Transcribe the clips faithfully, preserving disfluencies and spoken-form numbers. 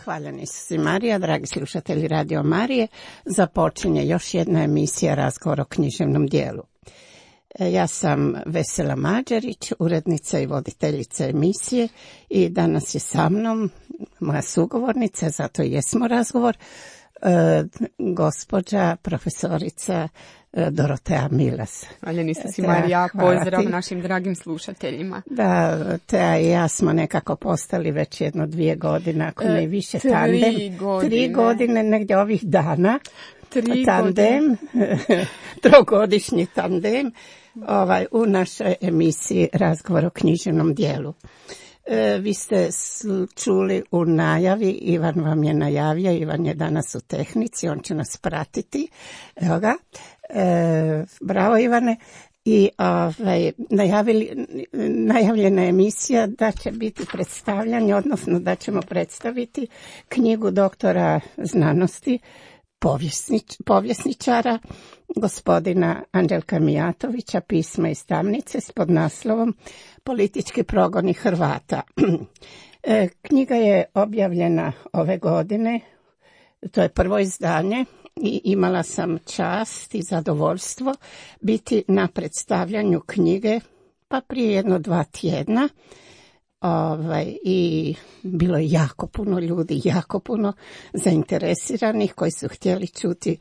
Hvaljeni Isus Marija, dragi slušatelji Radio Marije, započinje još jedna emisija Razgovor o književnom dijelu. Ja sam Vesela Mađarić, urednica i voditeljica emisije i danas je sa mnom moja sugovornica, zato i jesmo razgovor, e, gospođa profesorica Dorotea Milas. Hvaljeni Isus Marija, pozdrav našim dragim slušateljima. Da, Tea i ja smo nekako postali već jedno dvije godine, ako ne i više, tri tandem. Godine. Tri godine, negdje ovih dana. Tri tandem, trogodišnji tandem ovaj, u našoj emisiji Razgovor o književnom dijelu. E, vi ste čuli u najavi, Ivan vam je najavio, Ivan je danas u tehnici, on će nas pratiti. Evo ga. E, bravo Ivane. I ovaj, najavili, najavljena emisija da će biti predstavljanje, odnosno da ćemo predstaviti knjigu doktora znanosti, povjesnič, povjesničara, gospodina Anđelka Mijatovića, Pisma iz tamnice s podnaslovom Politički progoni Hrvata. E, knjiga je objavljena ove godine, to je prvo izdanje i imala sam čast i zadovoljstvo biti na predstavljanju knjige pa prije jedno dva tjedna. Ovaj, i bilo je jako puno ljudi, jako puno zainteresiranih koji su htjeli čuti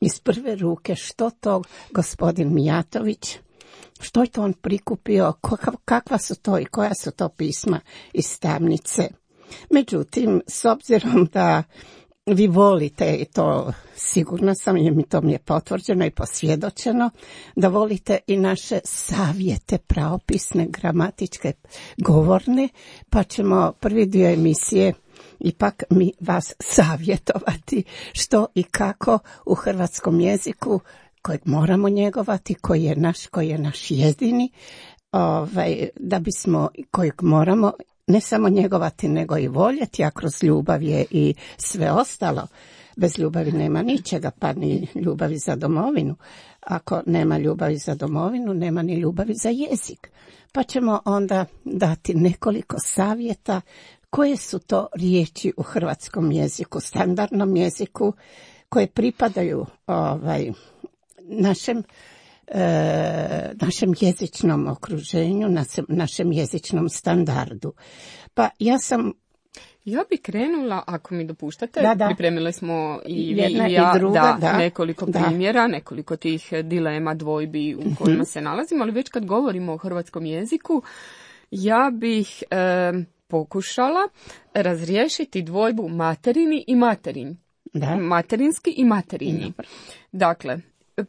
iz prve ruke što to gospodin Mijatović, što je to on prikupio, kakva su to i koja su to pisma iz tamnice. Međutim, s obzirom da vi volite, i to sigurno sam, jer mi to mi je potvrđeno i posvjedočeno, da volite i naše savjete pravopisne, gramatičke, govorne, pa ćemo prvi dio emisije ipak mi vas savjetovati što i kako u hrvatskom jeziku, kojeg moramo njegovati, koji je naš, koji je naš jedini, ovaj, da bismo, kojeg moramo ne samo njegovati, nego i voljeti, a kroz ljubav je i sve ostalo. Bez ljubavi nema ničega, pa ni ljubavi za domovinu. Ako nema ljubavi za domovinu, nema ni ljubavi za jezik. Pa ćemo onda dati nekoliko savjeta koje su to riječi u hrvatskom jeziku, standardnom jeziku, koje pripadaju ovaj, našem E, našem jezičnom okruženju, našem jezičnom standardu. Pa ja sam... Ja bi krenula, ako mi dopuštate, da, da. Pripremili smo i vi Jedna i ja i druga, da, da. nekoliko da. primjera, nekoliko tih dilema, dvojbi u kojima se nalazimo, ali već kad govorimo o hrvatskom jeziku, ja bih e, pokušala razriješiti dvojbu materini i materinj. Da. Materinski i materinji. Da. Dakle,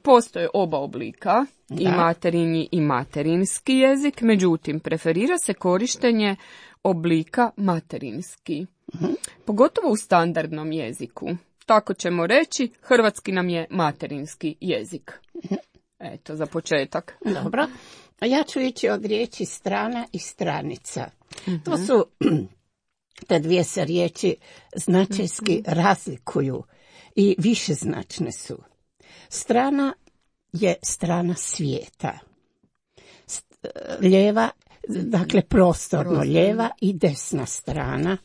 postoje oba oblika, da. I materinji i materinski jezik, međutim, preferira se korištenje oblika materinski, uh-huh. Pogotovo u standardnom jeziku. Tako ćemo reći, hrvatski nam je materinski jezik. Uh-huh. Eto, za početak. Dobro. A ja ću ići od riječi strana i stranica. Uh-huh. To su, te dvije se riječi značajski uh-huh. razlikuju i višeznačne su. Strana je strana svijeta. Lijeva, dakle prostorno, prostorno, lijeva i desna strana.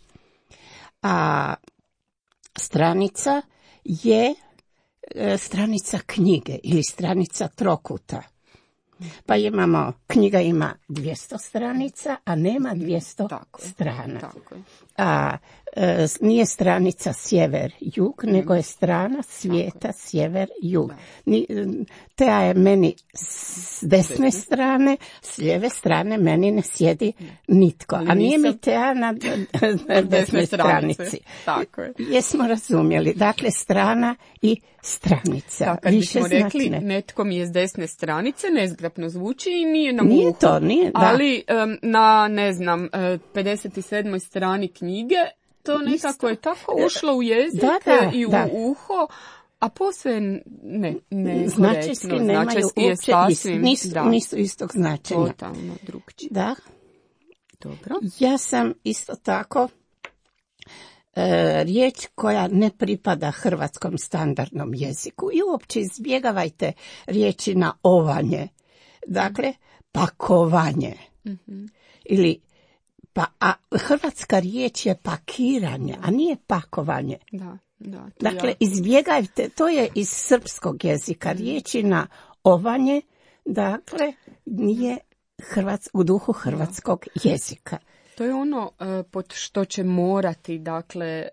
A stranica je e, stranica knjige ili stranica trokuta. Pa imamo, knjiga ima dvjesto stranica, a nema dvjesto tako strana. Tako je. A e, nije stranica sjever-jug, mm. nego je strana svijeta sjever-jug. Tea je meni s desne Desne. strane, s lijeve strane meni ne sjedi nitko. Ali a nije nisam... mi Tea na, na desnoj stranici. Tako je. Jesmo razumjeli. Dakle, strana i stranica. Da, kad bismo rekli netko mi je s desne stranice, nezgrapno zvuči i nije na nije uhu. To, nije, da. Ali um, na, ne znam, pedeset sedmoj strani knjige, to nekako je tako ušlo u jezik da, da, i u da. uho, a posve ne, ne značajski korektno. nemaju Značajski uopće sasvim, nisu, da. nisu istog značenja. Totalno drugčije. Da. Dobro. Ja sam isto tako e, riječ koja ne pripada hrvatskom standardnom jeziku i uopće izbjegavajte riječi na ovanje. Dakle, pakovanje. Mm-hmm. Ili Pa, a hrvatska riječ je pakiranje, a nije pakovanje. Da, da. Dakle, ja. izbjegajte, to je iz srpskog jezika, riječi na ovanje, dakle, nije hrvats, u duhu hrvatskog da. jezika. To je ono uh, pod što će morati, dakle,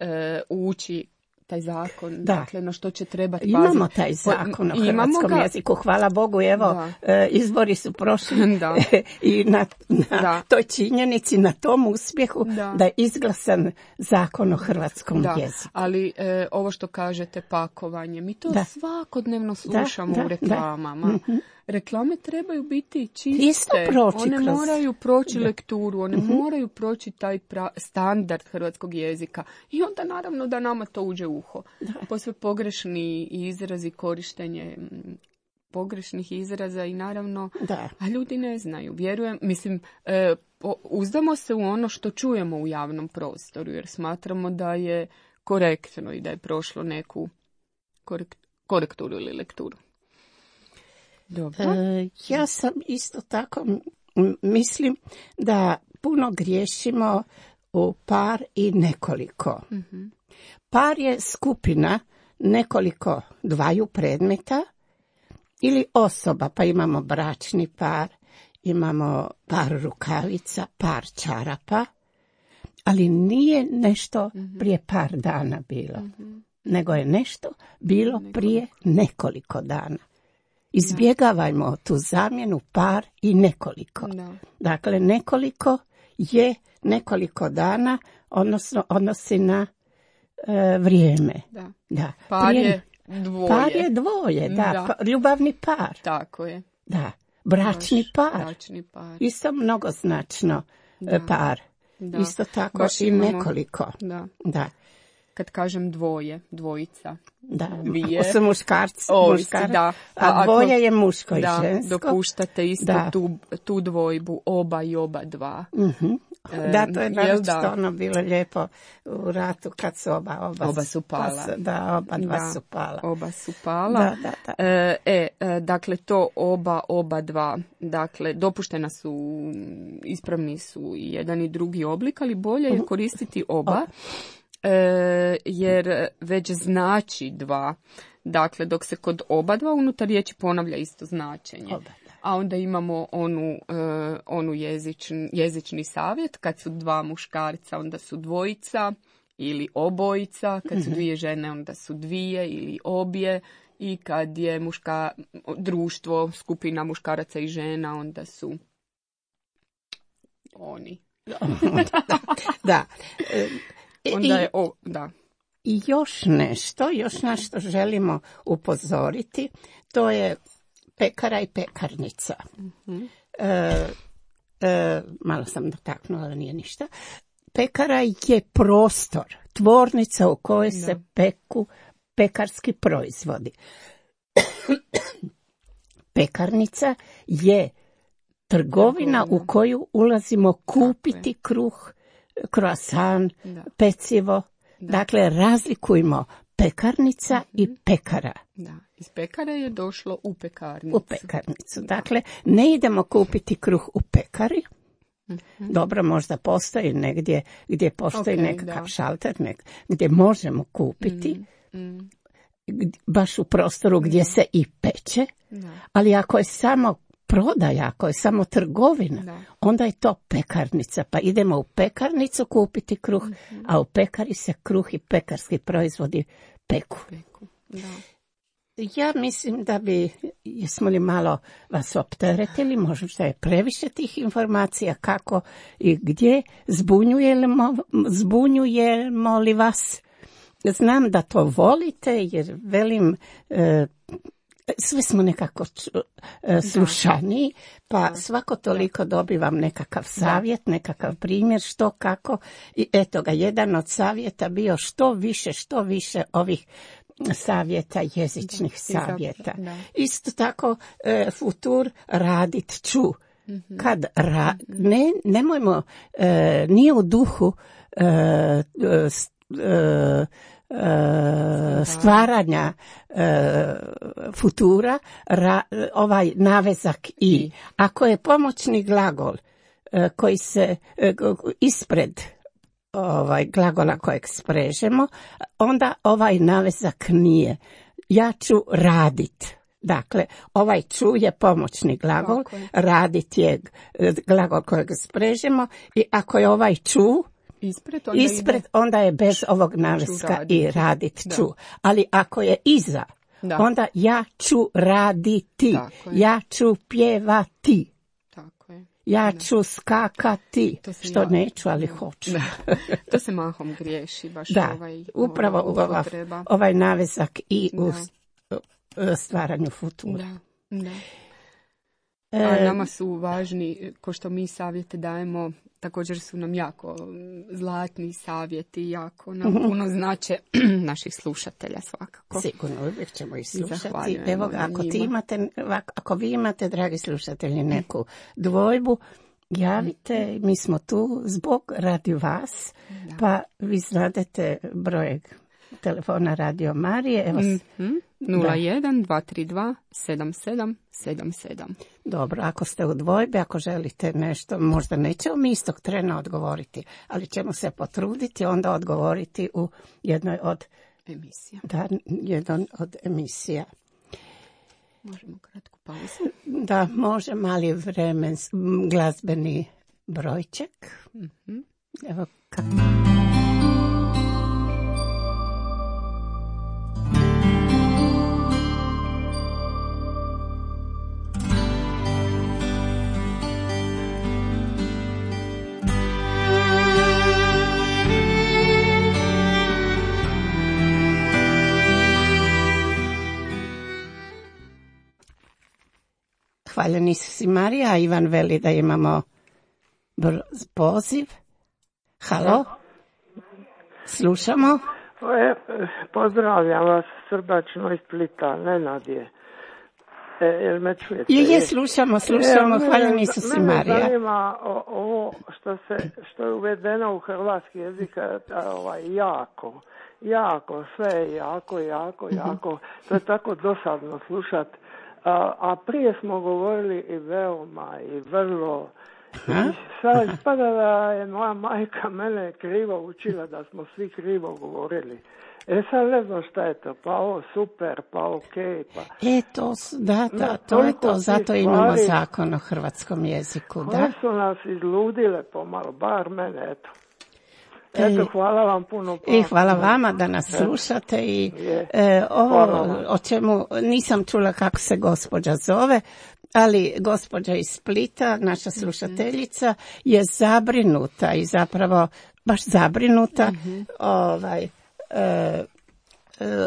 uh, ući taj zakon, da. dakle, na što će trebati paziti. Imamo taj zakon o hrvatskom ga... jeziku, hvala Bogu, evo, da. izbori su prošli da. i na, na da. toj činjenici, na tom uspjehu da, da je izglasan zakon o hrvatskom da. jeziku. Ali e, ovo što kažete, pakovanje, mi to da. svakodnevno slušamo da, da, u reklamama. Da. Mm-hmm. Reklame trebaju biti čiste, one kroz... moraju proći da. lekturu, one mm-hmm. moraju proći taj pra... standard hrvatskog jezika i onda naravno da nama to uđe u uho. Da. Posve pogrešni izrazi, korištenje pogrešnih izraza i naravno, da. a ljudi ne znaju. Vjerujem, mislim, e, uzdamo se u ono što čujemo u javnom prostoru jer smatramo da je korektno i da je prošlo neku korekt... korekturu ili lekturu. Dobro. E, ja sam isto tako mislim da puno griješimo u par i nekoliko. Mm-hmm. Par je skupina nekoliko dvaju predmeta ili osoba, pa imamo bračni par, imamo par rukavica, par čarapa, ali nije nešto mm-hmm. prije par dana bilo, mm-hmm. nego je nešto bilo nekoliko. prije nekoliko dana. Izbjegavajmo tu zamjenu par i nekoliko. Da. Dakle, nekoliko je nekoliko dana, odnosno odnosi na e, vrijeme. Da. Da. Par Prijem, je dvoje. Par je dvoje, da. da. Pa, ljubavni par. Tako je. Da. Bračni Baš, par. Bračni par. Isto mnogoznačno da. par. Da. Isto tako Baš i imamo, nekoliko. Da. Da. Kad kažem dvoje, dvojica, da, dvije. Ako su muškarci, muškar, da. a dvoje ako, je muško i da, žensko. Dopuštate isto da. tu, tu dvojbu, oba i oba dva. Uh-huh. Da, to je naročito ono bilo lijepo u ratu kad su oba, oba, oba su pala. Pas, da, oba dva da, su pala. Oba su pala. Da, da, da. E, e, dakle, to oba, oba dva, dakle, dopuštena su, ispravni su i jedan i drugi oblik, ali bolje je koristiti oba. oba. E, jer već znači dva, dakle dok se kod oba dva unutar riječi ponavlja isto značenje. Oba, a onda imamo onu, e, onu jezični, jezični savjet, kad su dva muškarca onda su dvojica ili obojica, kad su dvije žene onda su dvije ili obje i kad je muška, društvo, skupina muškaraca i žena onda su oni. da, da. Onda je, o, da. I još nešto, još na što želimo upozoriti, to je pekara i pekarnica. Mm-hmm. E, e, malo sam dotaknula, ali nije ništa. Pekara je prostor, tvornica u kojoj da. se peku pekarski proizvodi. Pekarnica je trgovina u koju ulazimo kupiti kruh, croissant, da. pecivo. Da. Dakle, razlikujmo pekarnica mm-hmm. i pekara. Da, iz pekara je došlo u pekarnicu. U pekarnicu. Dakle, ne idemo kupiti kruh u pekari. Mm-hmm. Dobro, možda postoji negdje gdje postoji okay, nekakav da. šalter, nek, gdje možemo kupiti. Mm-hmm. Baš u prostoru gdje da. se i peče. Da. Ali ako je samo prodaja, ako je samo trgovina, da. onda je to pekarnica. Pa idemo u pekarnicu kupiti kruh, mm-hmm. a u pekari se kruh i pekarski proizvodi peku. peku. Da. Ja mislim da bi, jesmo li malo vas opteretili, možda je previše tih informacija, kako i gdje, zbunjujemo, zbunjujemo li vas? Znam da to volite, jer velim, e, sve smo nekako e, slušani, pa svako toliko dobivam nekakav savjet, nekakav primjer što, kako. I eto ga, jedan od savjeta bio što više, što više ovih savjeta, jezičnih da, savjeta. Da. Isto tako, e, futur radit ću. Mm-hmm. Kad ra, ne, nemojmo, e, nije u duhu e, e, e, stvaranja e, futura ra, ovaj navezak i. Ako je pomoćni glagol koji se ispred ovaj glagola kojeg sprežemo, onda ovaj navezak nije. Ja ću radit. Dakle, ovaj ću je pomoćni glagol, radit je glagol kojeg sprežemo i ako je ovaj ću ispred, onda, ispred, onda je bez ovog naveska i radit ću. Ali ako je iza, da. Onda ja ću raditi, ja ću pjevati. Ja ću da. skakati, što ja, neću, ali hoću. To se mahom griješi, baš da, ovaj, upravo ova, ovaj navezak i da. u stvaranju futura. Da, da. A nama su važni, ko što mi savjete dajemo, također su nam jako zlatni savjeti, jako nam puno znače naših slušatelja svakako. Sigurno, uvijek ćemo ih slušati. Evo ga, ako, ti imate, ako vi imate, dragi slušatelji, neku dvojbu, javite, mi smo tu zbog radi vas, da. Pa vi znadete broj telefona Radio Marije. Evo, mm-hmm. nula jedan dva tri dva sedam sedam sedam sedam. Dobro, ako ste u dvojbi, ako želite nešto, možda nećemo mi istog trena odgovoriti, ali ćemo se potruditi onda odgovoriti u jednoj od emisija. Da, jedan od emisija. Možemo kratku pauzu? Da, može mali vremen, glazbeni brojček. Mm-hmm. Evo kako... Hvaljeni si Marija, Ivan veli da imamo poziv. Halo? Slušamo? E, pozdravljam vas srdačno iz Splita, Nenad je. E, jel me čujete? Je, je, slušamo, slušamo, e, hvaljeni su si Marija. Mene zanima ovo što, se, što je uvedeno u hrvatski jezik, ovaj, jako, jako, sve je jako, jako, jako. Mm-hmm. To je tako dosadno slušati. A, a prije smo govorili i veoma i vrlo. I sad ispada da je moja majka mene krivo učila, da smo svi krivo govorili. E sad ne znam šta je to, pa ovo super, pa okej. Pa... E to, da, da, to je to, zato imamo zakon o hrvatskom jeziku. Koje da? su nas izludile pomalo, bar mene, eto. Eto, hvala vam puno. I hvala vama da nas slušate i e, ovo o čemu nisam čula kako se gospođa zove, ali gospođa iz Splita, naša slušateljica, je zabrinuta i zapravo baš zabrinuta mm-hmm. ovaj, e,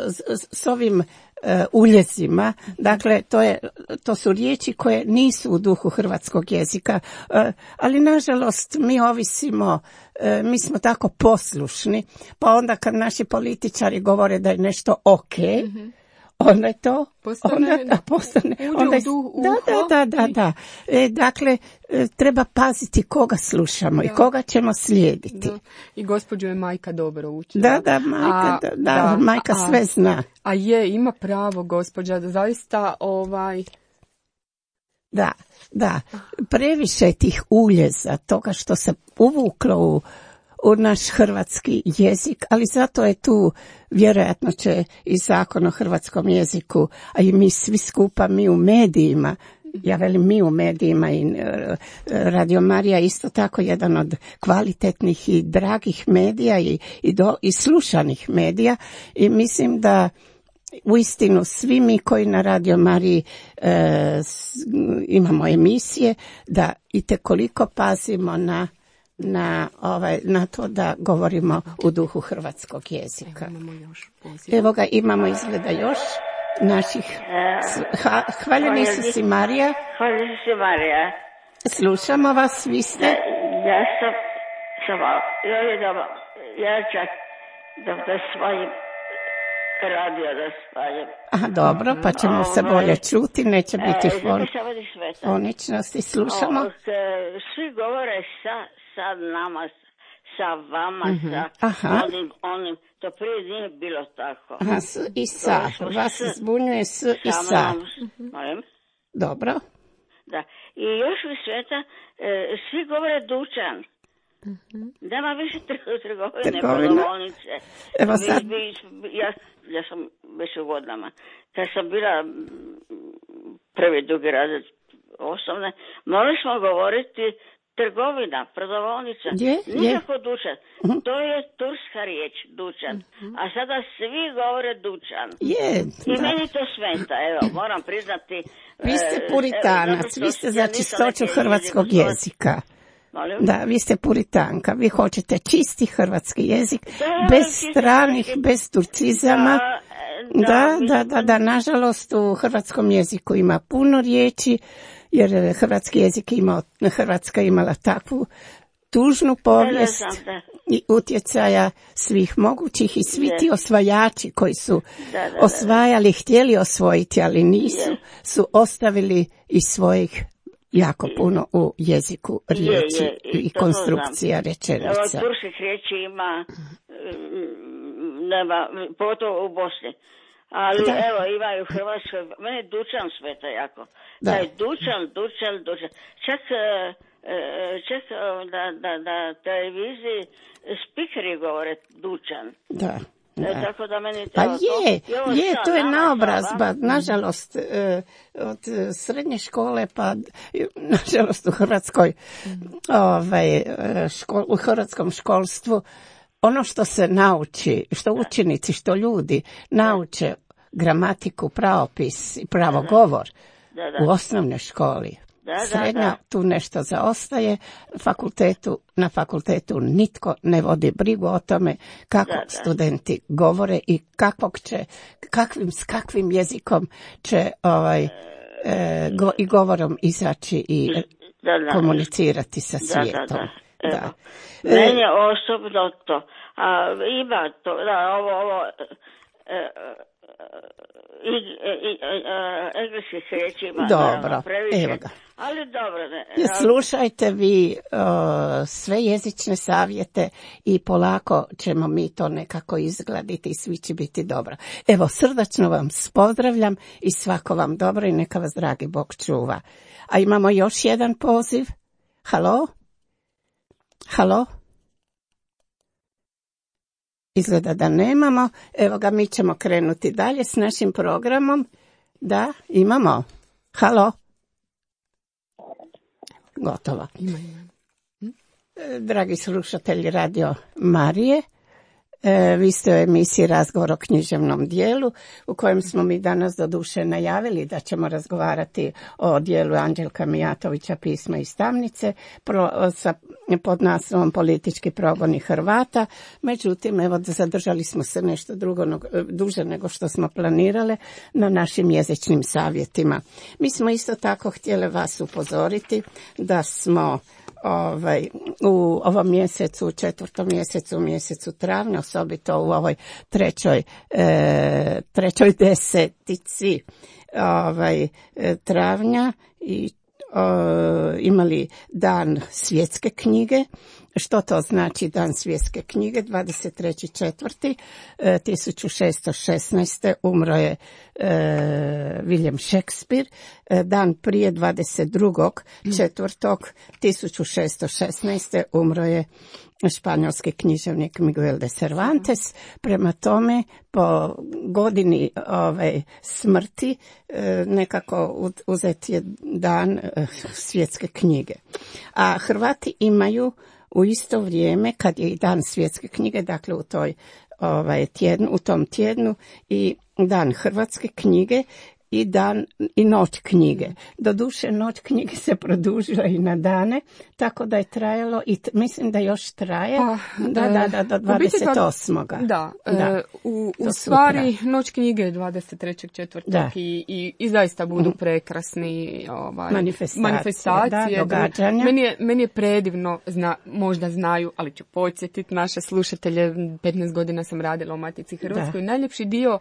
s, s ovim e, uljezima. Dakle, to, je, to su riječi koje nisu u duhu hrvatskog jezika, e, ali nažalost mi ovisimo, e, mi smo tako poslušni, pa onda kad naši političari govore da je nešto ok, mm-hmm. onda je to postane, onda, da, postane, onda je, da, da, da, da, da. E, dakle, e, treba paziti koga slušamo da. I koga ćemo slijediti. Da. I gospođu je majka dobro učila. Da, da, majka, a, da, da, da, majka a, sve zna. A je, ima pravo gospođa, da zaista ovaj... Da, da, previše je tih uljeza, toga što se uvuklo u u naš hrvatski jezik, ali zato je tu, vjerojatno će i zakon o hrvatskom jeziku, a i mi svi skupa, mi u medijima, ja velim mi u medijima i Radio Marija isto tako jedan od kvalitetnih i dragih medija i, i, do, i slušanih medija i mislim da uistinu svi mi koji na Radio Mariji e, imamo emisije, da itekoliko pazimo na Na, ovaj, na to da govorimo u duhu hrvatskog jezika. Evo, imamo još Evo ga, imamo izgleda još naših... Ha, hvaljeni su si Marija. Hvaljeni si Marija. Slušamo vas, vi ste... Ja sam... Samo, ja, da, ja čak da, da svojim radio da spaljem. Aha, dobro, pa ćemo o, se bolje čuti, neće biti e, fon... foničnosti. Slušamo. O, svi govore sa... sad nama, sa vama, mm-hmm. sa Aha. onim, onim, to prije nije bilo tako. Aha, s i sa, vas s, zbunjuje s i sa. Molim? Dobro. da. I još u sveta e, svi govore dućan. Mm-hmm. Nema više trgovine, prodavonice. Evo sad... Ja, ja sam već u godinama. Kad sam bila prvi drugi razred osnovne, morali smo govoriti trgovina, prodavaonica, je, nikako je. dućan. Uh-huh. To je turska riječ, dućan. Uh-huh. A sada svi govore dućan. Je, I da. meni to smeta, evo, moram priznati. Vi ste puritanac, evo, vi ste ja za čistoću hrvatskog jezika. Molim? Da, vi ste puritanka, vi hoćete čisti hrvatski jezik, da, bez stranih, hrvatski... bez turcizama. Da, da, da, da, da, nažalost u hrvatskom jeziku ima puno riječi, jer hrvatski jezik ima, Hrvatska imala takvu tužnu povijest da, da, da. i utjecaja svih mogućih i svi ti osvajači koji su da, da, da, osvajali, htjeli osvojiti, ali nisu, je. su ostavili iz svojih jako puno u jeziku riječi je, je, i, i konstrukcija rečenica. Evo, turskih riječi ima, nema, pogotovo u Bosni. Ali da. Evo, ima i u Hrvatskoj, meni dućan smeta jako. Da. Taj dućan, dućan, dućan. Čak, čak na, na, na televiziji spikeri govore dućan. Da. Da. E, tako da meni pa to, je, to, je, sad, to je nama, naobrazba, sada. nažalost, od srednje škole, pa nažalost u Hrvatskoj, ovaj, škol, u hrvatskom školstvu, ono što se nauči, što učenici, što ljudi nauče gramatiku, pravopis i pravogovor da, da. u osnovnoj školi. Da, Srednja da, da. tu nešto zaostaje, fakultetu, na fakultetu nitko ne vodi brigu o tome kako da, da. studenti govore i kakvog će, kakvim, s kakvim jezikom će ovaj, e, go, i govorom izaći i da, da. komunicirati sa svijetom. Da, da, da. Da. Meni je osobno to. A, ima to, da, ovo, ovo e, e, i, i, i engleskih riječi ima. Dobro, evo ga. Ali dobro, ne. Slušajte vi uh, sve jezične savjete i polako ćemo mi to nekako izgladiti i svi će biti dobro. Evo, srdačno vam pozdravljam i svako vam dobro i neka vas dragi Bog čuva. A imamo još jedan poziv. Halo? Halo? Izgleda da nemamo. Evo ga, mi ćemo krenuti dalje s našim programom. Da, imamo. Halo? Gotovo. Ima, ima. Hm? Dragi slušatelji Radio Marije, e, vi ste u emisiji Razgovor o književnom dijelu, u kojem smo mi danas doduše najavili da ćemo razgovarati o dijelu Anđelka Mijatovića Pisma i stavnice pro, sa, pod naslovom Politički progoni Hrvata. Međutim, evo, zadržali smo se nešto drugo, duže nego što smo planirale na našim jezičnim savjetima. Mi smo isto tako htjeli vas upozoriti da smo Ovaj, u ovom mjesecu, u četvrtom mjesecu, u mjesecu travnja, osobito u ovoj trećoj, e, trećoj desetici ovaj, travnja i o, imali dan svjetske knjige. Što to znači dan svjetske knjige? dvadeset treći četvrti tisuću šesto šesnaeste. umro je e, William Shakespeare. E, dan prije dvadeset drugog četvrtog tisuću šesto šesnaeste. umro je španjolski književnik Miguel de Cervantes. Prema tome, po godini ove smrti e, nekako uzet je dan e, svjetske knjige. A Hrvati imaju u isto vrijeme, kad je i dan svjetske knjige, dakle u toj ovaj tjednu, u tom tjednu i dan hrvatske knjige i dan i noć knjige. Doduše noć knjige se produžila i na dane, tako da je trajalo i t- mislim da još traje. Pa, da, da, da, do dvadeset osmog Da, da. E, u, u stvari noć knjige je dvadeset trećeg četvrtog i, i, i zaista budu mm. prekrasni ovaj, manifestacije, manifestacije da, događanja. Meni je, meni je predivno, zna, možda znaju, ali ću podsjetiti naše slušatelje, petnaest godina sam radila u Matici Hrvatskoj. Da. Najljepši dio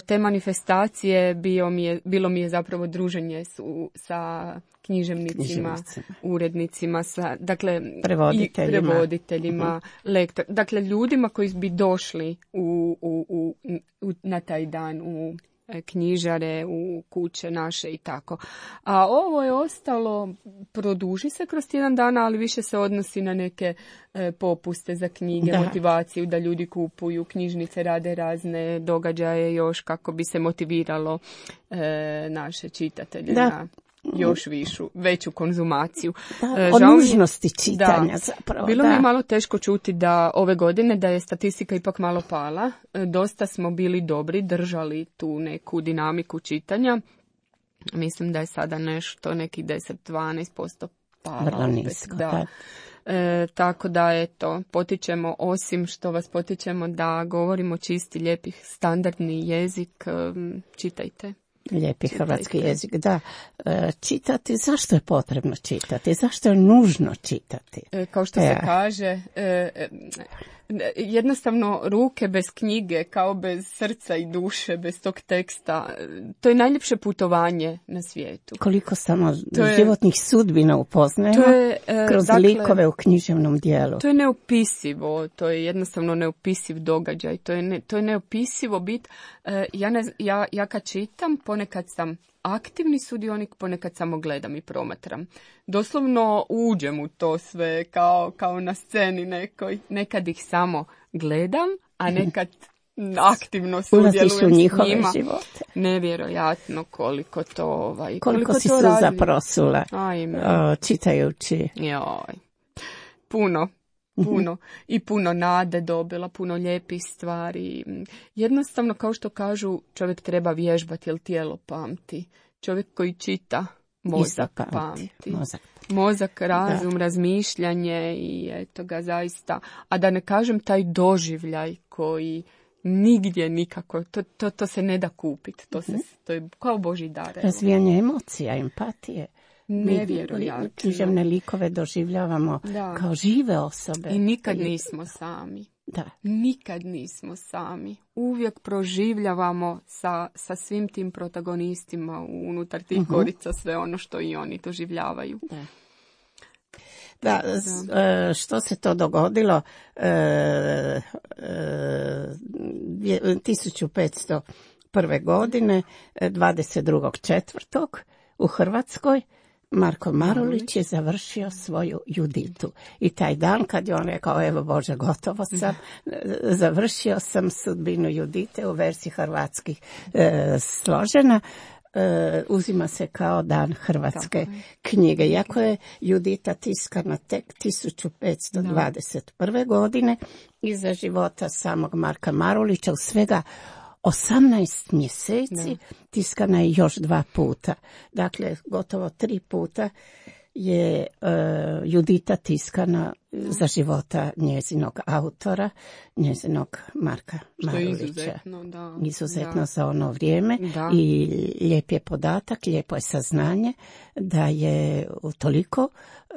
te manifestacije bio mi je, bilo mi je zapravo druženje su, sa književnicima, urednicima, sa, dakle, prevoditeljima, i prevoditeljima mm-hmm. lektor, dakle ljudima koji bi došli u, u, u, u, na taj dan u knjižare, u kuće naše i tako. A ovo je ostalo, produži se kroz tjedan dana, ali više se odnosi na neke e, popuste za knjige, da. Motivaciju da ljudi kupuju, knjižnice rade razne događaje još kako bi se motiviralo e, naše čitatelje da. Na još višu, veću konzumaciju. Da, o nužnosti čitanja da, zapravo. Bilo da. mi je malo teško čuti da ove godine da je statistika ipak malo pala. Dosta smo bili dobri, držali tu neku dinamiku čitanja. Mislim da je sada nešto, neki deset do dvanaest posto pala. Vrlo nisko, da. Da. E, tako da eto, potičemo, osim što vas potičemo da govorimo čisti, lijepih, standardni jezik, čitajte. Lijepi hrvatski jezik, da. E, čitati, zašto je potrebno čitati? Zašto je nužno čitati? E, kao što se e. kaže, e, jednostavno ruke bez knjige, kao bez srca i duše, bez tog teksta, to je najljepše putovanje na svijetu. Koliko samo je, životnih sudbina upoznajemo to je, e, kroz dakle, likove u književnom dijelu. To je neopisivo, to je jednostavno neopisiv događaj, to je, ne, to je neopisivo bit. E, ja, ne, ja, ja kad čitam, ponekad sam aktivni sudionik, ponekad samo gledam i promatram. Doslovno uđem u to sve kao, kao na sceni nekoj. Nekad ih samo gledam, a nekad aktivno sudjelujem s njima. Živote. Nevjerojatno koliko to ovaj, koliko, koliko si to suza zaprosula o, čitajući. Joj. Puno. Puno i puno nade dobila, puno lijepih stvari. Jednostavno, kao što kažu, čovjek treba vježbati jer tijelo pamti. Čovjek koji čita, mozak pamti. pamti. Mozak. Mozak, razum, da. Razmišljanje i eto ga zaista. A da ne kažem taj doživljaj koji nigdje nikako, to, to, to se ne da kupiti. To, se, to je kao Božji dar. Razvijanje emocija, empatije. Nevjerojatno. Mi književne likove doživljavamo da. Kao žive osobe. I nikad nismo sami. Da. Nikad nismo sami. Uvijek proživljavamo sa, sa svim tim protagonistima unutar tih uh-huh. korica sve ono što i oni doživljavaju. Da. Da, da. Što se to dogodilo e, e, tisuću petsto prve. godine, dvadeset drugog četvrtog u Hrvatskoj, Marko Marulić je završio svoju Juditu. I taj dan kad je on rekao, evo Bože, gotovo sam, završio sam sudbinu Judite u verziji hrvatskih e, složena, e, uzima se kao dan hrvatske Tako. knjige. Iako je Judita tiskana tek tisuću petsto dvadeset prve. godine, iza života samog Marka Marulića u svega osamnaest mjeseci, da. Tiskana je još dva puta. Dakle, gotovo tri puta je uh, Judita tiskana da. Za života njezinog autora, njezinog Marka Što Marulića. Izuzetno, da. Izuzetno da. za ono vrijeme. Da. I lijep je podatak, lijepo je saznanje da je toliko uh,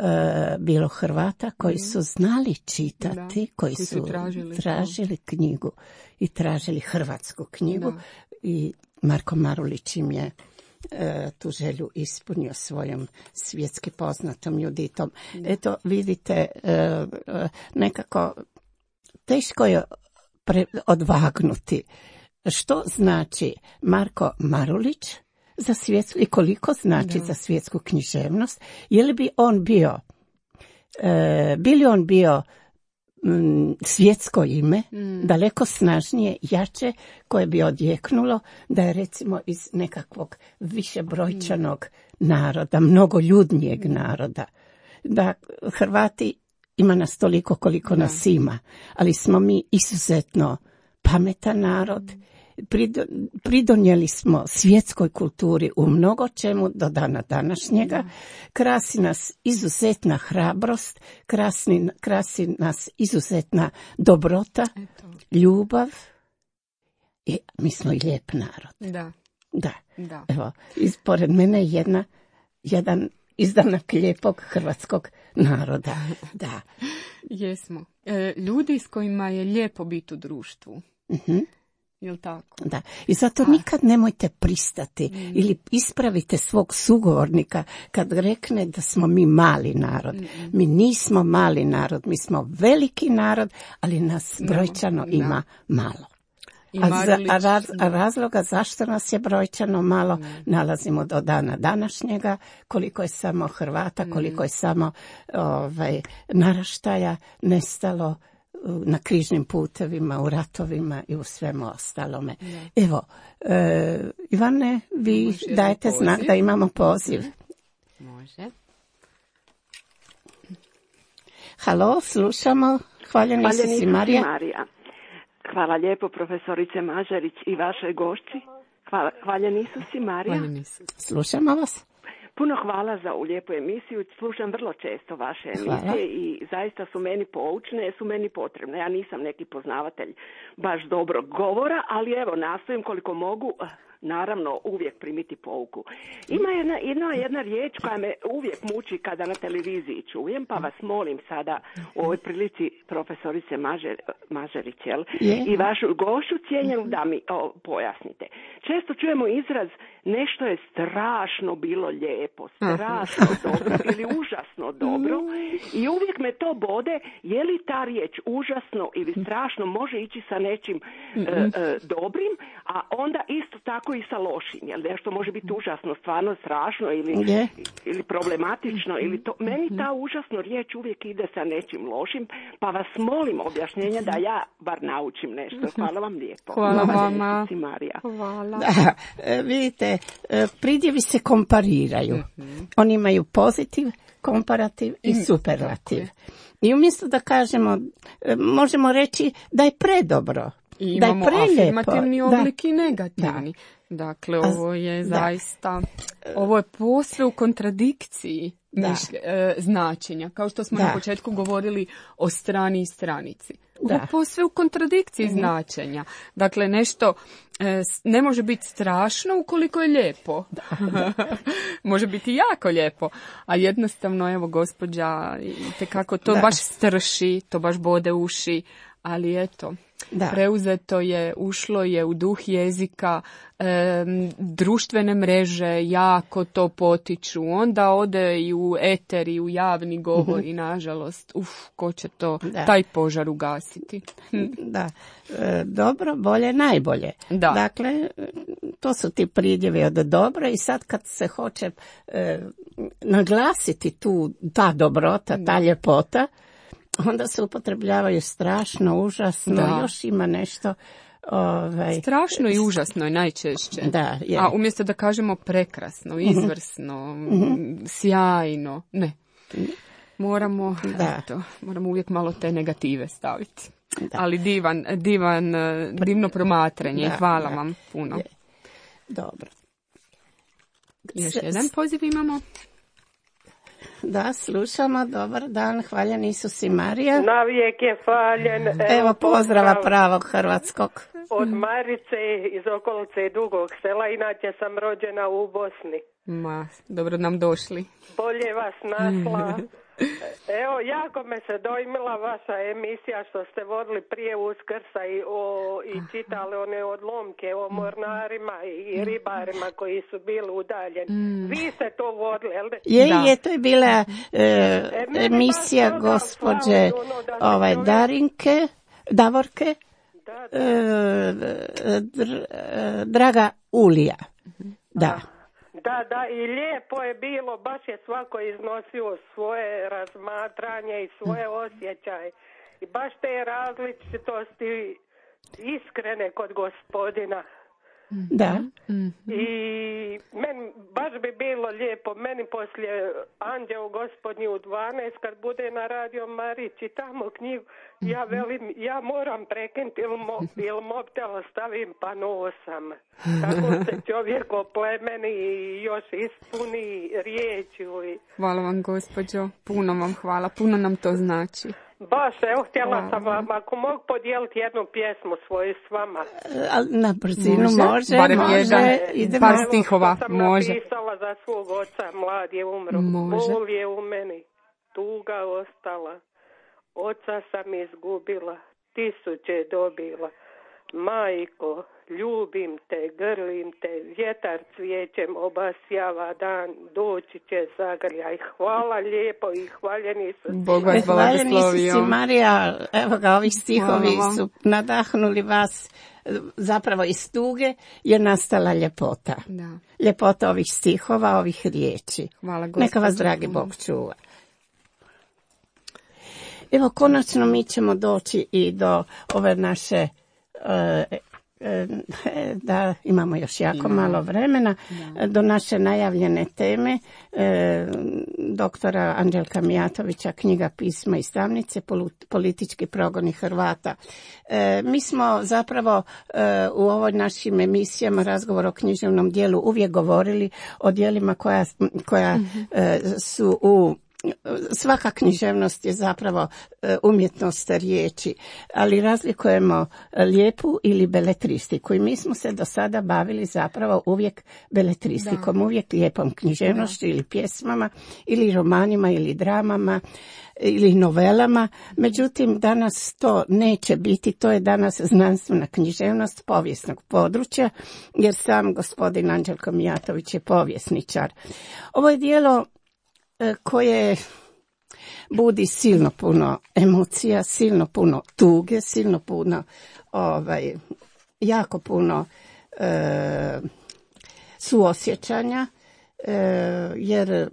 bilo Hrvata koji su znali čitati, da. koji, koji su, su tražili, tražili knjigu i tražili hrvatsku knjigu. Da. I Marko Marulić im je e, tu želju ispunio svojom svjetski poznatom Juditom. Da. Eto, vidite, e, e, nekako teško je pre, odvagnuti što znači Marko Marulić za svjetsku i koliko znači da. Za svjetsku književnost. Je li bi on bio, e, bi li on bio svjetsko ime, mm. daleko snažnije, jače, koje bi odjeknulo da je recimo iz nekakvog višebrojčanog mm. naroda, mnogoljudnijeg mm. naroda. Da Hrvati ima nas toliko koliko da. Nas ima, ali smo mi izuzetno pametan narod, mm. pridonijeli smo svjetskoj kulturi u mnogo čemu do dana današnjega. Da. Krasi nas izuzetna hrabrost, krasi, krasi nas izuzetna dobrota, Eto. ljubav i mi smo i lijep narod. Da. Da. Da. Evo, ispored mene je jedna, jedan izdanak lijepog hrvatskog naroda. Da. Jesmo. E, ljudi s kojima je lijepo biti u društvu. Mhm. Jel tako? Da. I zato A. nikad nemojte pristati mm. ili ispravite svog sugovornika kad rekne da smo mi mali narod. Mm. Mi nismo mali narod, mi smo veliki narod, ali nas brojčano no, ima da. malo. I a, za, a, raz, Marlić- a razloga zašto nas je brojčano malo nalazimo do dana današnjega, koliko je samo Hrvata, koliko je samo ovaj, naraštaja nestalo na križnim putevima, u ratovima i u svemu ostalome. Da. Evo, e, Ivane, vi Imaš jedan dajete poziv? znak da imamo poziv. Može. Halo, slušamo. Hvaljeni Hvaljeni Isus i Isus Marija. i Marija. Hvala lijepo profesorice Mažarić i vašoj gošći. Hvala, hvaljeni Isus i Marija. Hvala Isus. Slušamo vas. Puno hvala za ovu lijepu emisiju. Slušam vrlo često vaše emisije Hvala. i zaista su meni poučne, su meni potrebne. Ja nisam neki poznavatelj baš dobrog govora, ali evo nastojim koliko mogu, naravno uvijek primiti pouku. Ima jedna, jedna, jedna riječ koja me uvijek muči kada na televiziji čujem, pa vas molim sada u ovoj prilici profesorice Mažer, Mažerić, jel? Je. I vašu gošću cijenjenu da mi o, pojasnite. Često čujemo izraz nešto je strašno bilo lijepo, strašno dobro ili užasno dobro i uvijek me to bode, je li ta riječ užasno ili strašno može ići sa nečim e, e, dobrim, a onda isto tako i sa lošim, jel nešto može biti užasno, stvarno strašno ili, Je. ili problematično ili to. Meni ta užasno riječ uvijek ide sa nečim lošim, pa vas molim objašnjenje da ja bar naučim nešto. Hvala vam lijepo. Hvala Hvala vama. Isus i Marija. Hvala. Da, e, vidite, e, pridjevi se kompariraju. Oni imaju pozitiv, komparativ i superlativ. I umjesto da kažemo, e, možemo reći da je predobro, I da je imamo prelijepo. afirmativni Da. oblik i negativni. Dakle, ovo je da. zaista, ovo je posve u kontradikciji Da. mišlje- e, značenja. Kao što smo Da. na početku govorili o strani i stranici. Ovo Da. je posve u kontradikciji značenja. Dakle, nešto e, s- ne može biti strašno ukoliko je lijepo. Može biti jako lijepo. A jednostavno, evo, gospođa, itekako to Da. baš strši, to baš bode uši, ali eto, Da. preuzeto je, ušlo je u duh jezika, em, društvene mreže jako to potiču, onda ode i u eter i u javni govor i nažalost, uf, ko će to, Da. taj požar ugasiti. Da, e, dobro, bolje, najbolje. Da. Dakle, e, to su ti pridjevi od dobro i sad kad se hoće e, naglasiti tu ta dobrota, ta ljepota, onda se upotrebljavaju strašno, užasno, Da. još ima nešto. Ovaj, Strašno i užasno je najčešće. Da, je. A umjesto da kažemo prekrasno, izvrsno, sjajno, ne. Moramo, Da. eto, moramo uvijek malo te negative staviti. Da. Ali divan, divan, eh, divno promatranje. Da, Hvala da. vam puno. Je. Dobro. Još S- jedan poziv imamo. Da, slušamo, dobar dan, hvaljen Isus i Marija. Navijek je faljen. Evo pozdrava pravog hrvatskog. Od Marice iz okolice Dugog Sela, inače sam rođena u Bosni. Ma, dobro nam došli. Bolje vas našla. Evo, jako me se dojmila vaša emisija što ste vodili prije Uskrsa i, o, i čitali one odlomke o mornarima i ribarima koji su bili udaljeni. Vi ste to vodili, jel? Je, Da. je, to je bila e, mene emisija baš toga gospođe fali, ono, da se ovaj, čovjek- Darinke, Davorke, Da, e, dr- e, Draga Ulija. Da. Da, da, i lijepo je bilo, baš je svako iznosio svoje razmatranje i svoje osjećaje. I baš te različitosti iskrene kod gospodina. Da. I meni baš bi bilo lijepo, meni poslije Anđeo gospodnji u dvanaest kad bude na Radio Mariji čitamo knjigu, ja velim, ja moram prekinuti ili, mo, ili mobitel stavim pa nosam. Tako se čovjek oplemeni i još ispuni riječju. I Hvala vam, gospođo. Puno vam hvala. Puno nam to znači. baš, evo, htjela Hvala. sam vam, ako mogu podijeliti jednu pjesmu svoju s vama. E, ali na brzinu Može, može, barem može, jedan, idemo. par Evo, stihova, što sam može. napisala za svog oca, mlad je umro. Može. Bol je u meni, tuga ostala. Oca sam izgubila, tisuće dobila. Majko, ljubim te, grlim te, vjetar cvijećem obasjava dan, doći će zagrljaj. Hvala lijepo i hvaljeni su. Bog vas blagoslovio. si, Marija, evo ga, ovi stihovi su nadahnuli vas, zapravo iz tuge je nastala ljepota. Da. Ljepota ovih stihova, ovih riječi. Hvala, neka vas, dragi Bog, čuva. Evo, konačno mi ćemo doći i do ove naše, e, e, da imamo još jako Imamo. malo vremena, da. do naše najavljene teme, e, doktora Anđelka Mijatovića, knjiga Pisma i stavnice, politički progoni Hrvata. E, mi smo zapravo e, u ovoj našim emisijama Razgovor o književnom dijelu uvijek govorili o dijelima koja, koja mm-hmm. e, su u Svaka književnost je zapravo umjetnost riječi, ali razlikujemo lijepu ili beletristiku i mi smo se do sada bavili zapravo uvijek beletristikom, da. uvijek lijepom književnošću ili pjesmama ili romanima ili dramama ili novelama. Međutim, danas to neće biti, to je danas znanstvena književnost povijesnog područja, jer sam gospodin Anđelko Mijatović je povjesničar. Ovo je dijelo koje budi silno puno emocija, silno puno tuge, silno puno, ovaj, jako puno e, suosjećanja, e, jer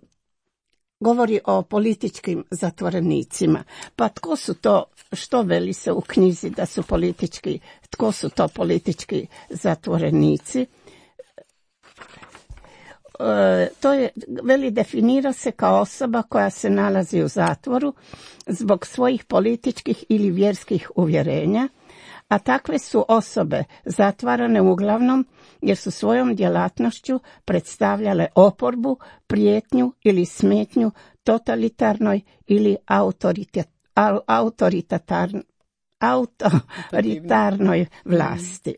govori o političkim zatvorenicima. Pa tko su to, što veli se u knjizi da su politički, tko su to politički zatvorenici? To je, veli, definira se kao osoba koja se nalazi u zatvoru zbog svojih političkih ili vjerskih uvjerenja, a takve su osobe zatvarane uglavnom jer su svojom djelatnošću predstavljale oporbu, prijetnju ili smetnju totalitarnoj ili autoritatarnoj autoritarnoj vlasti.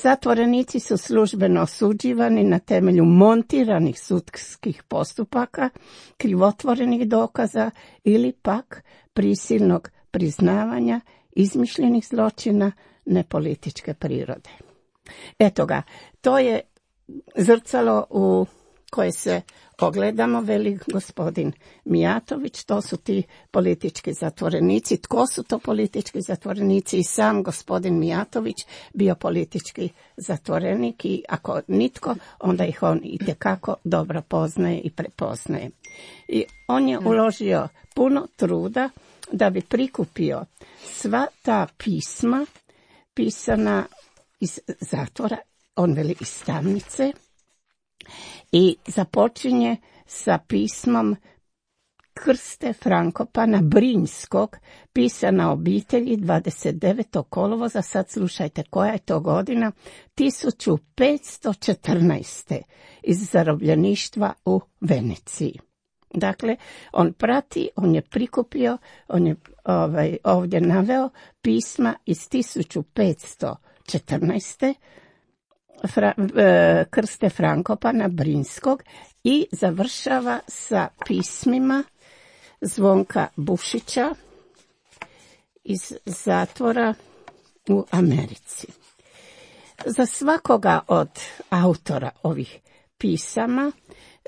Zatvorenici su službeno osuđivani na temelju montiranih sudskih postupaka, krivotvorenih dokaza ili pak prisilnog priznavanja izmišljenih zločina nepolitičke prirode. Eto ga, to je zrcalo u koje se ogledamo, veli gospodin Mijatović, to su ti politički zatvorenici. Tko su to politički zatvorenici? I sam gospodin Mijatović bio politički zatvorenik i ako nitko, onda ih on itekako dobro poznaje i prepoznaje. I on je uložio puno truda da bi prikupio sva ta pisma pisana iz zatvora, on veli iz tamnice, i započinje sa pismom Krste Frankopana Brinjskog, pisana obitelji dvadeset devetog kolovoza, sad slušajte koja je to godina, tisuću petsto četrnaeste iz zarobljeništva u Veneciji. Dakle, on prati, on je prikupio, on je ovaj, ovdje naveo pisma iz tisuću petsto četrnaeste Fra, e, Krste Frankopana Brinjskog i završava sa pismima Zvonka Bušića iz zatvora u Americi. Za svakoga od autora ovih pisama,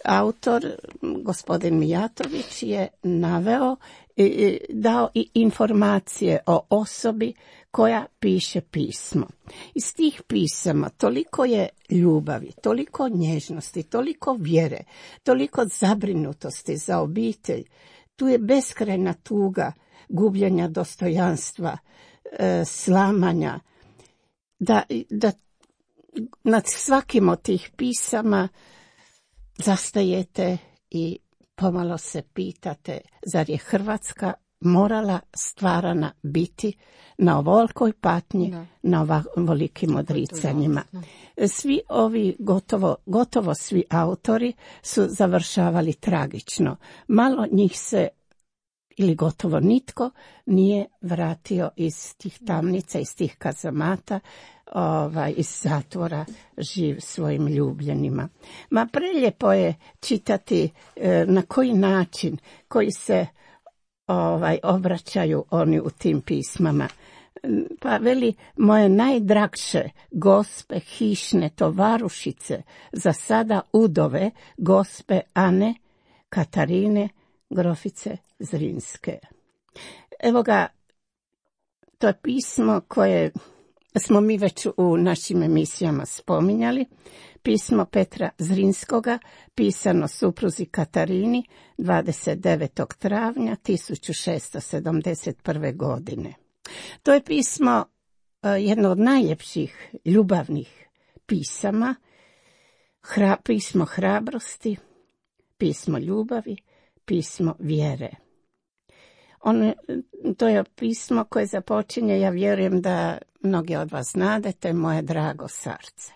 autor, gospodin Mijatović, je naveo i dao i informacije o osobi koja piše pismo. Iz tih pisama toliko je ljubavi, toliko nježnosti, toliko vjere, toliko zabrinutosti za obitelj. Tu je beskrajna tuga gubljenja dostojanstva, e, slamanja, da, da nad svakim od tih pisama zastajete i pomalo se pitate, zar je Hrvatska morala stvarana biti na ovolikoj patnji, da. na ovolikim odricanjima. Svi ovi, gotovo, gotovo svi autori su završavali tragično. Malo njih se, ili gotovo nitko, nije vratio iz tih tamnica, iz tih kazamata, ovaj, iz zatvora živ svojim ljubljenima. Ma preljepo je čitati e, na koji način, koji se ovaj, obraćaju oni u tim pismama. Pa veli, moje najdragše gospe hišne tovarušice, za sada udove gospe Ane Katarine Grofice Zrinske. Evo ga, to je pismo koje smo mi već u našim emisijama spominjali. Pismo Petra Zrinskoga, pisano supruzi Katarini dvadeset devetog travnja tisuću šesto sedamdeset prve. godine. To je pismo jedno od najljepših ljubavnih pisama, hra, pismo hrabrosti, pismo ljubavi, pismo vjere. On, to je pismo koje započinje, ja vjerujem da mnogi od vas znadete, moje drago srce.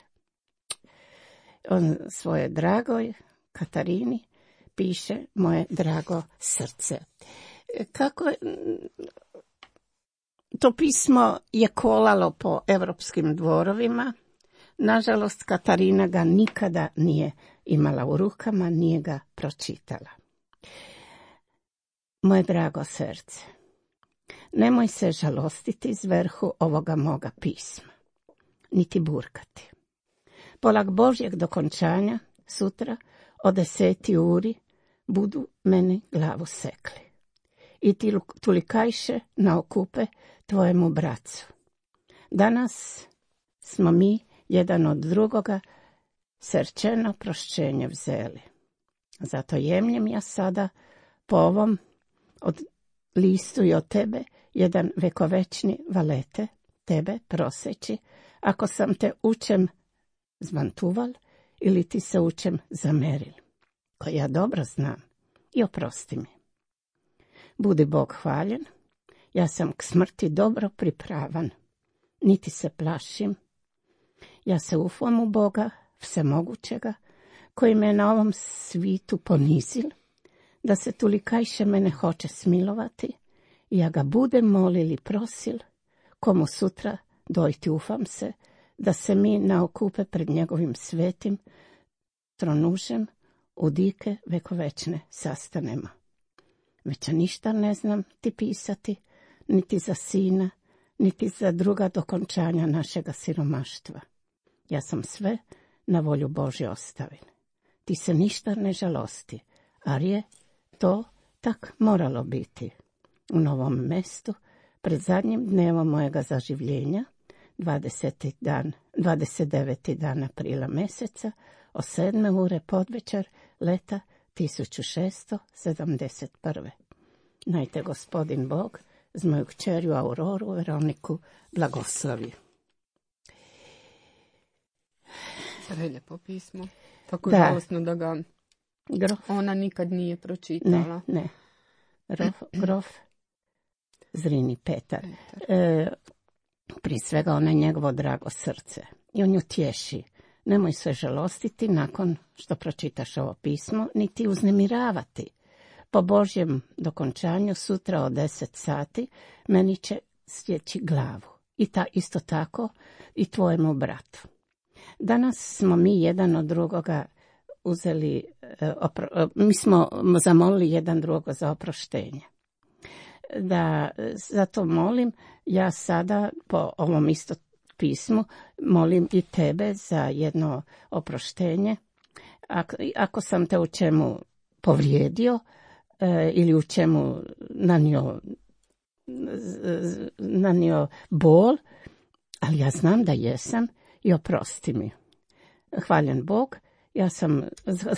On svoje dragoj Katarini piše moje drago srce. Kako to pismo je kolalo po evropskim dvorovima. Nažalost, Katarina ga nikada nije imala u rukama, nije ga pročitala. Moje drago srce, nemoj se žalostiti iz vrhu ovoga moga pisma, niti burkati. Polak Božjeg dokončanja, sutra, o deseti uri, budu meni glavu sekli. I ti tulikajše na okupe tvojemu bracu. Danas smo mi jedan od drugoga srčeno prošćenje vzeli. Zato jemljem ja sada po ovom od listu i od tebe jedan vekovečni valete, tebe proseći, ako sam te učem zvantuval ili ti se učem zameril, koji ja dobro znam, i oprosti mi. Budi Bog hvaljen, ja sam k smrti dobro pripravan, niti se plašim. Ja se ufam u Boga, vsemogućega, koji me na ovom svitu ponizil, da se tulikajše mene hoće smilovati, i ja ga budem molil i prosil, komu sutra dojti ufam se, da se mi naokupe pred njegovim svetim tronužem u dike vekovečne sastanemo. Već ništa ne znam ti pisati, niti za sina, niti za druga dokončanja našega siromaštva. Ja sam sve na volju Božje ostavil. Ti se ništa ne žalosti, ar je to tak moralo biti. U novom mestu, pred zadnjim dnevom mojega zaživljenja, dvadeseti dan, dvadeset deveti dan aprila meseca, o sedme ure podvečer leta tisuću šesto sedamdeset prve. Najte gospodin Bog z moju kćerju Auroru Veroniku blagoslovi. Prelijepo pismo. Tako da. Žalostno da ga grof. Ona nikad nije pročitala. Ne, ne. Grof, grof Zrini Petar. Petar. E, prije svega ona je njegovo drago srce. I on ju tješi. Nemoj se žalostiti nakon što pročitaš ovo pismo, niti uznemiravati. Po Božjem dokončanju sutra od deset sati meni će sjeći glavu. I ta isto tako i tvojemu bratu. Danas smo mi jedan od drugoga uzeli, opro, mi smo zamolili jedan drugo za oproštenje. Da, zato molim, ja sada po ovom isto pismu molim i tebe za jedno oproštenje. Ako, ako sam te u čemu povrijedio e, ili u čemu nanio, nanio bol, ali ja znam da jesam i oprosti mi. Hvaljen Bog, ja sam,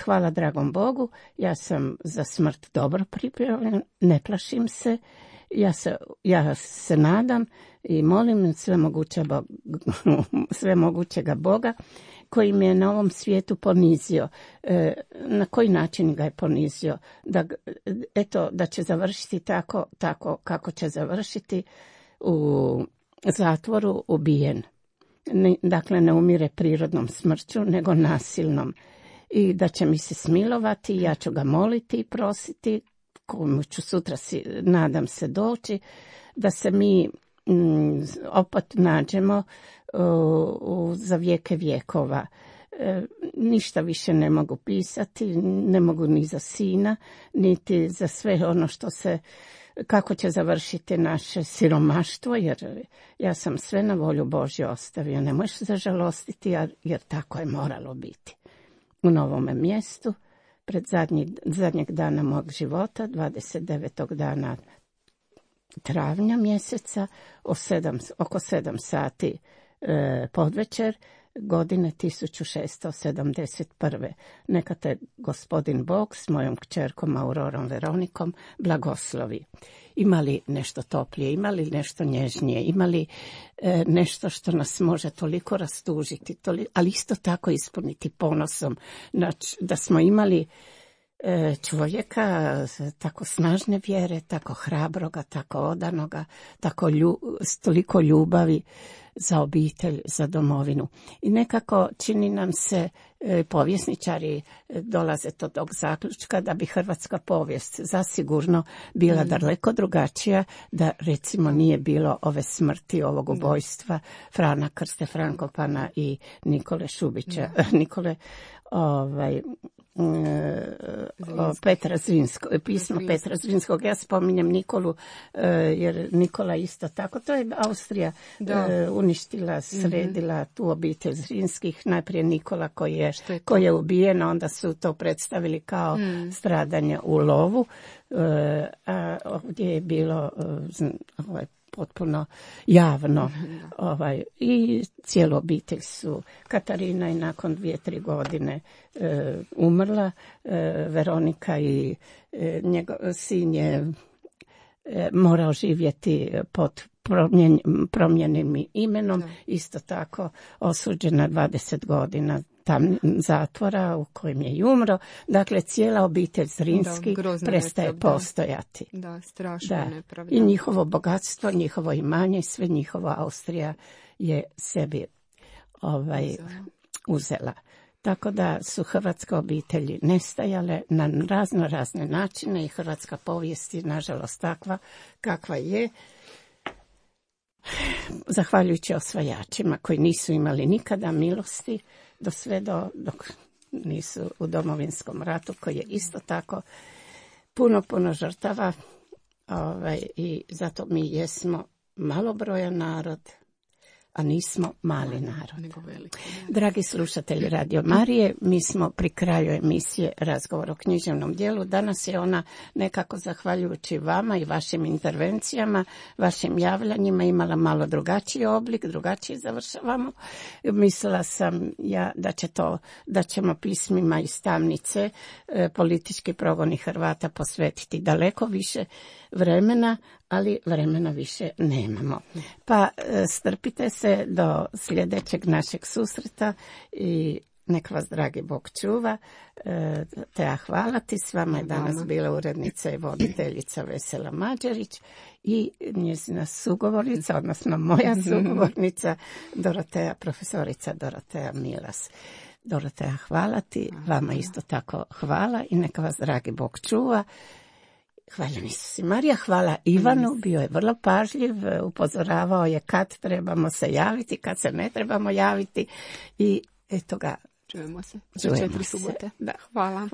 hvala dragom Bogu, ja sam za smrt dobro pripremljen, ne plašim se, ja se, ja se nadam i molim sve moguće Bog, sve mogućega Boga koji me je na ovom svijetu ponizio. E, na koji način ga je ponizio? Da, eto, da će završiti tako, tako kako će završiti u zatvoru ubijen. Ne, dakle, ne umire prirodnom smrću, nego nasilnom. I da će mi se smilovati, ja ću ga moliti i prositi, komu ću sutra, si, nadam se, doći, da se mi mm, opet nađemo uh, uh, za vijeke vjekova. E, ništa više ne mogu pisati, ne mogu ni za sina, niti za sve ono što se, kako će završiti naše siromaštvo, jer ja sam sve na volju Božju ostavio. Ne možeš zažalostiti, jer, jer tako je moralo biti. U novome mjestu, pred zadnji, zadnjeg dana mog života, dvadeset devetog dana travnja mjeseca, o sedam, oko sedam sati e, podvečer, godine tisuću šesto sedamdeset prve. Neka te gospodin Bog s mojom kćerkom Aurorom Veronikom blagoslovi. Imali nešto toplije, imali nešto nježnije, imali e, nešto što nas može toliko rastužiti, toliko, ali isto tako ispuniti ponosom. Znači, da smo imali e, čovjeka tako snažne vjere, tako hrabroga, tako odanoga, tako lju, s toliko ljubavi za obitelj, za domovinu. I nekako čini nam se, e, povjesničari dolaze do tog zaključka da bi hrvatska povijest zasigurno bila mm. daleko drugačija, da recimo nije bilo ove smrti, ovog ubojstva Frana Krste Frankopana i Nikole Šubića, mm. Nikole ovaj o, Petra Zrinskog, pismo Zrinskog. Petra Zrinskog. Ja spominjem Nikolu, jer Nikola isto tako. To je Austrija da. uništila, sredila mm-hmm. tu obitelj Zrinskih. Najprije Nikola koji je, je koji je ubijen, onda su to predstavili kao mm. stradanje u lovu. A ovdje je bilo ovaj, potpuno javno. Ovaj, i cijelu obitelj su. Katarina je nakon dvije, tri godine e, umrla. E, Veronika i e, njegov sin je e, morao živjeti pod promjen, promjenim imenom. Da. Isto tako osuđena dvadeset godina tam zatvora u kojem je i umro. Dakle, cijela obitelj Zrinski da, prestaje nepravda. postojati. Da, strašno da. nepravda. I njihovo bogatstvo, njihovo imanje, sve njihovo Austrija je sebi ovaj, uzela. Tako da su hrvatske obitelji nestajale na razno razne načine i hrvatska povijest je nažalost takva kakva je. Zahvaljujući osvajačima koji nisu imali nikada milosti, do sve do, dok nisu u Domovinskom ratu, koji je isto tako puno, puno žrtava, ovaj, i zato mi jesmo malobrojan narod, a nismo mali narod. Dragi slušatelji Radio Marije, mi smo pri kraju emisije Razgovor o književnom djelu. Danas je ona nekako zahvaljujući vama i vašim intervencijama, vašim javljanjima imala malo drugačiji oblik, drugačije završavamo. Mislila sam ja da će to, da ćemo pismima iz tamnice e, politički progoni Hrvata posvetiti daleko više vremena, ali vremena više nemamo. Pa strpite se do sljedećeg našeg susreta i nek vas dragi Bog čuva. Te ja hvala ti. S vama je danas bila urednica i voditeljica Vesela Mađerić i njezina sugovornica, odnosno moja sugovornica Doroteja, profesorica Doroteja Milas. Doroteja, hvala ti. Vama isto tako hvala i neka vas dragi Bog čuva. Hvala Isus i Marija, hvala Ivanu, bio je vrlo pažljiv, upozoravao je kad trebamo se javiti, kad se ne trebamo javiti i eto ga. Čujemo se. Čujemo četiri subote. Da. Hvala.